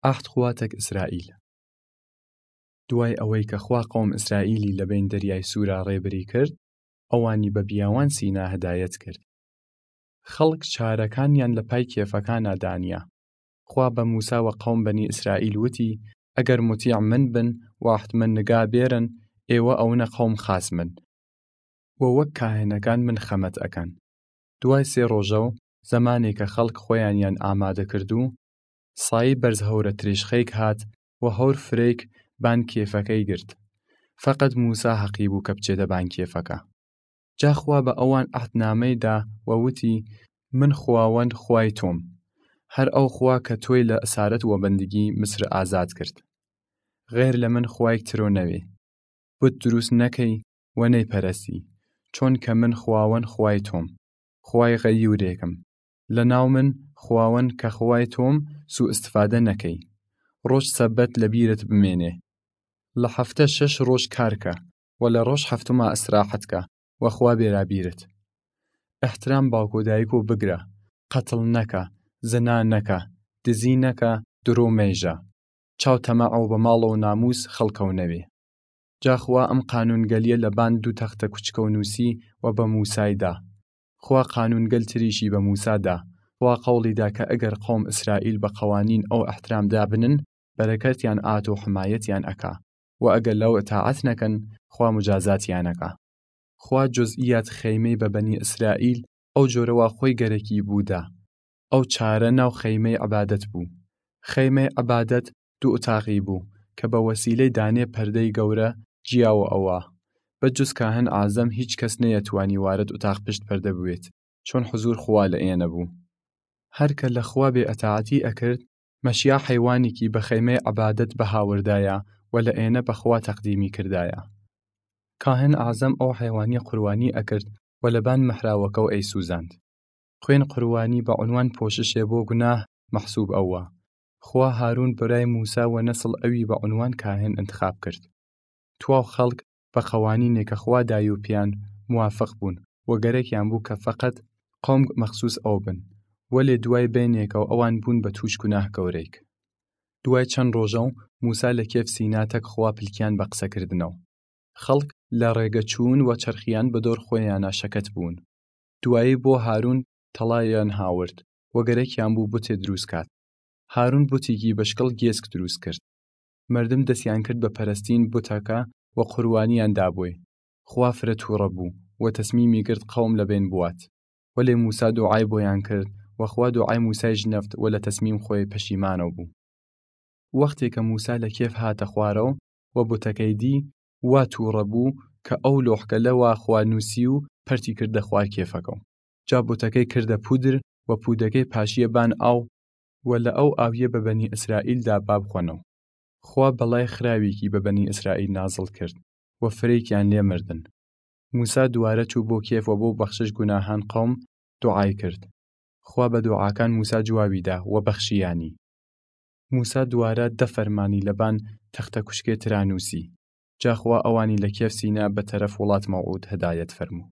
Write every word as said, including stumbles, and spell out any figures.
ئەحد خوا تەک ئسرائیل. دوای ئەوەی کە خوا قەوم ئسرائیلی لە بەین دەریای سوورا ڕێبری کرد، ئەوانی بە بیاوان سینا هدایەت کرد. خەڵک چارەکانیان لە پای کێفەکانا دانیا. خوا بە موسا وە قەوم بەنی ئسرائیل وتی، ئەگەر موتیع من بن و ئەحد من نگا بێرن، ئێوە ئەونە قەوم خاس من، و وەک کاهنەکان من خەمەت ئەکەن. دوای سێ ڕۆژەو زەمانێ کە خەڵک خوەیانیان ئامادە کردوو، سایی بەرز هەورە تریشخەیگ هات و هەور فرەیگ بان کێفەکەی گرت. فەقەت موسا هەقی بوو کە بچێدە بان کێفەکە. جا خوا بە ئەوان ئەحدنامەی دا و وتی، من خواوەند خوای تۆم، هەر ئەو خوا کە تۆی لە ئسارەت وە بەندگی مصر ئازاد کرد. غەیر لە من خوایگ ترۆ نەوێ. بت دروس نەکەی و نەیپەرەسی، چۆنکە من خواوەند خوای تۆم، خوای غەیورێکم. لە ناو من خواوەند کە خوای تۆم سوو ئستفادە نەکەی. ڕۆژ سەبەت لە بیرت بمێنێ. لە هەفتە شەش ڕۆژ کار کە، و لە ڕۆژ هەفتما ئسراحەت کە، و خوا بێرا بیرت. ئەحترام باوک و دایکۆ بگرە، قەتڵ نەکە، زنا نەکە، دزی نەکە، درۆ مەیژە. چاو تەمەعەو بە ماڵەو نامووس خەڵکەو نەوێ. جا خوا ئەم قانوونگەلیە لە بان دوو تەختە کوچکەو نووسی و بە موسای دا. خوا قانوونگەل تریشی بە موسا دا. خوا قەوڵی دا کە ئەگەر قەوم ئسرائیل بە قەوانین ئەو ئەحترام دابنن، بەرەکەتیان ئات و حمایەتیان ئەکا، و ئەگەر لەو ئتاعەت نەکەن، خوا مجازاتیان ئەکا. خوا جزئیات خەیمەی بە بەنی ئسرائیل ئەو جۆرە وا خوەی گەرەکی بوو دا. ئەو چارە ناو خەیمەی عبادەت بوو. خەیمەی عبادەت دوو ئتاقی بوو کە بە وەسیلەی دانێ پەردەی گەورە جیاوە ئەوا. بە جز کاهن ئازەم هیچ کەس نەیەتوانی وارد ئتاق پشت پەردە بوێت، چۆن حزور خوا لە ئێنە بوو. هەر کە لە خوا بێ ئەتاعەتی ئەکرد، مەشیا حەیوانیکی بە خەیمەی عبادەت بەهاوردایە و لە ئێنە بە خوا تەقدیمی کردایە. کاهن ئازەم ئەو حەیوانیە قوربانی ئەکرد و لە بان مەحراوەکەو ئەیسوزاند. خوێن قوربانی بە عونوان پۆششێ بۆ گوناه مەحسوب ئەوا. خوا هارون برای موسا و نەسڵ ئەوی بە عونوان کاهن ئنتخاب کرد. تواو خەڵک بە قەوانینێ کە خوا دایوپیان موافق بوون و گەرەکیان بوو کە فەقەت قەوم مەخسوس ئەو بن، وەلێ دوای بەینێکەو ئەوان بوون بە تووش گوناه گەورەیگ. دوای چەن ڕۆژەو موسا لە کێف سینا تەک خوا پلکیان بە قسەکردنەو. خەڵک لە ڕێگە چوون و چەرخیان بە دۆر خوەیانا شەکەت بوون. دوایی بۆ هارون تەڵایان هاورد و گەرەکیان بوو بتێ دروس کات. هارون بتیگی بە شکڵ گێسک دروس کرد. مەردم دەسیان کرد بە پەرستین بتەکە و قوربانیان دابوی. خوا فرە تووڕە بوو و تەسمیمی گرد قەوم لە بەین بوات. وەلێ موسا دوعای بۆیان کرد و خوا دوعای موسای ژنەفت و لە تەسمیم خوەی پەشیمانەو بوو. وەختێ کە موسا لە کێف هاتە خوارەو و بتەکەی دی، وا تووڕە بوو کە ئەو لۆحکە لە وا خوا نووسی و پەرتی کردە خوار کێفەکەو. جا بتەکەی کردە پودر و پودەکەی پاشیە بان ئاو و لە ئەو ئاویە بە بەنی ئسرائیل دا با بخوەنەو. خوا بەڵای خراویکی بە بەنی ئسرائیل نازڵ کرد و فرەیکیان لێ مردن. موسا دووارە چوو بۆ کێف و بۆ بەخشش گوناهان قەوم دوعای کرد. خوا بە دوعاکان موسا جواوی دا و بەخشیانی. موسا دووارە دە فەرمانی لە بان تەختە کوشکێ ترا نووسی. جا خوا ئەوانی لە کێف سینا بە تەرەف وڵات مەوعود هدایەت فەرموو.